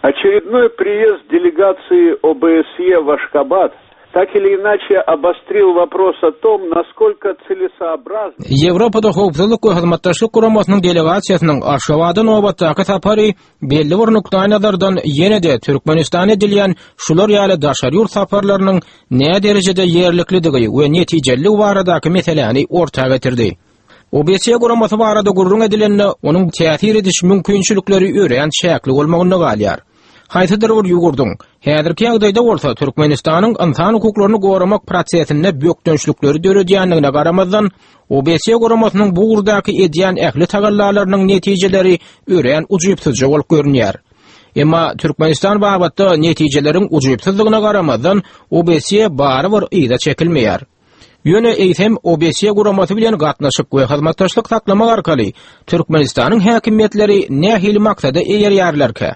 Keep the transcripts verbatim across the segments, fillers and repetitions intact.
Очередной приезд делегации ОБСЕ в Ашхабад так или иначе обострил вопрос о том, насколько целесообразно Ýewropada Howpsuzlyk we Hyzmatdaşlyk Guramasynyň delegasiýasynyň Aşgabada nobatdaky sapary belli bir nukdaýnazardan ýene-de Türkmenistana edilýän şular ýaly daşary ýurt saparlarynyň nä derejede ýerliklidigi we netijeliligi baradaky meseläni orta getirdi. OBSE guramasy barada gürrüň edilende onuň täsir ediş mümkinçilikleri örän çäkli bolmagynda galýar. Haýsydyr bir ýurduň häzirki ýagdaýda bolsa Türkmenistanyň ynsan hukuklaryny goramak prosesinde bökdençlikleri döredýändigine garamazdan OBSE guramasynyň bu ugurdaky edýän ähli tagallalarynyň netijeleri örän ujypsyzja bolup görünýär. Emma Türkmenistan babatda netijeleriň ujypsyzlygyna garamazdan OBSE barybir yza çekilmeýär. Ýöne eýsem OBSE guramasy bilen gatnaşyk we hyzmatdaşlyk saklamak arkaly Türkmenistanyň häkimiýetleri nähili maksada eýerýärlerkä?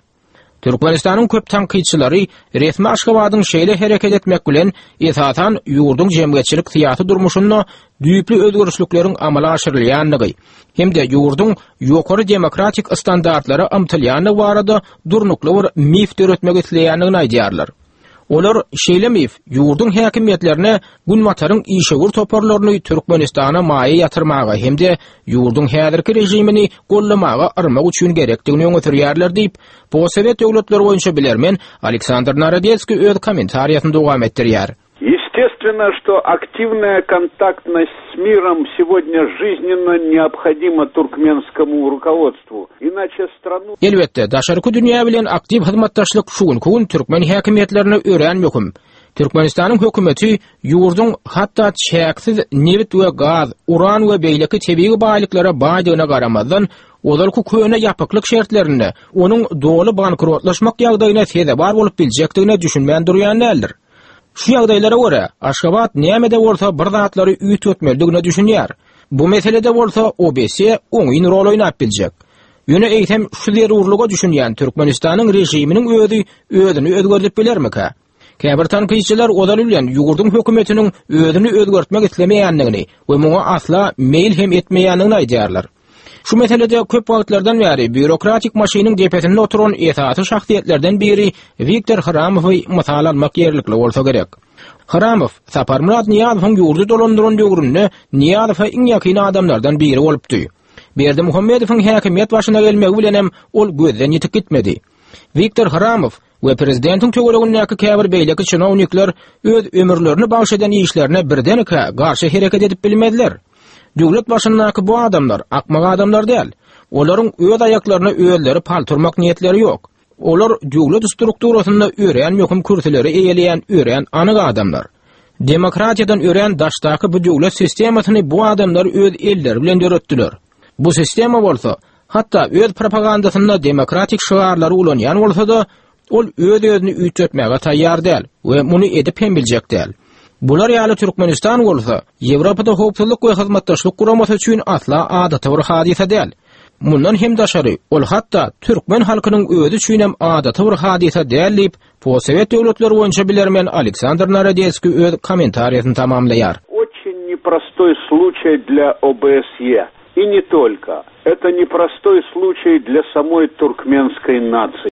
Türkmenistanyň köp tankytçylary resmi Aşgabadyň şeýle hereket etmek bilen esasan ýurduň jemgyýetçilik syýasy durmuşynda düýpli özgerişlikleriň amala aşyrylýandygy hem-de ýurduň ýokary demokratik standartlara ymtylýandygy barada durnukly bir mif döretmek isleýändigini aýdýarlar. Olar şeýle mif ýurduň häkimiýetlerine Günbataryň işewür toparlaryny Türkmenistana maýa ýatyrmaga hem-de ýurduň häzirki režimini gollamaga yrmak üçin gerekdigini öňe sürýärler diýip, Postsowet döwletleri boýunça bilermen Aleksandr Narodetskiý öz kommentariýasyny dowam etdirýär. Естественно, что активная контактность с миром сегодня жизненно необходима туркменскому руководству. Иначе страну Elbetde, daşarky dünýä bilen aktiw hyzmatdaşlyk şu günki gün türkmen häkimiýetlerine örän möhüm. Türkmenistanyň hökümeti ýurduň hatda çäksiz nebit we gaz, uran we beýleki tebigy baýlyklara baýdygyna garamazdan, ozalky köne ýapyklyk şertlerinde onuň doly bankrotlaşmak ýagdaýyna sezewar bolup biljekdigine düşünmän durýan däldir. Şu ýagdaýlara görä Aşgabat nämede bolsa bir zatlary üýtgetmelidigine düşünýär. Bu meselede bolsa OBSE oňyn rol oýnap biljek. Ýöne eýsem şu zerurlyga düşünýän Türkmenistanyň režiminiň özi özüni özgerdip bilermikä? Käbir tankytçylar ozaly bilen ýurduň hökümetiniň özüni özgertmek islemeýändigini we muňa asla meýil hem etmeýändigini aýdýarlar. Şu meselede köp wagtlardan bäri býurokratik maşynyň depesinde oturan esasy şahsyýetlerden biri Wiktor Hramowy mysal almak ýerlikli bolsa gerek. Hramow Saparmyrat Nyýazowyň ýurdy dolandyran döwründe Nyýazowa iň ýakyn adamlardan biri bolupdy. Berdimuhamedowyň häkimiýet başyna gelmegi bilenem ol gözden ýitip gitmedi. Wiktor Hramow we prezidentiň töweregindäki käbir beýleki çinownikler öz ömürlerini bagş eden işlerine birdenkä garşy hereket edip bilmezler. Döwlet başyndaky bu adamlar akmak adamlar däl. Olaryň öz aýaklaryna özleri paltyrmak niýetleri ýok. Olar döwlet strukturasynda örän möhüm kürsüleri eýeleýän örän anyk adamlar. Demokratiýadan örän daşdaky bu döwlet sistemasyny bu adamlar öz elleri bilen döretdiler. Bu sistema bolsa, hatda öz propagandasynda demokratik şygarlary ulanýan bolsa-da, ol öz-özüni üýtgetmäge taýýar däl we muny edip hem biljek däl. Bular ýaly Türkmenistan bolsa, Ýewropada howpsuzlyk we hyzmatdaşlyk guramasy üçin asla adaty bir hadysa däl. Mundan hem daşary, ol hatda türkmen halkynyň özi üçin hem adaty bir hadysa däl diýip, Postsowet döwletleri boýunça bilermen Aleksandr Narodetskiý öz kommentariýasyny tamamlaýar. очень непростой случай для ОБСЕ. И не только. Это непростой случай для самой туркменской нации.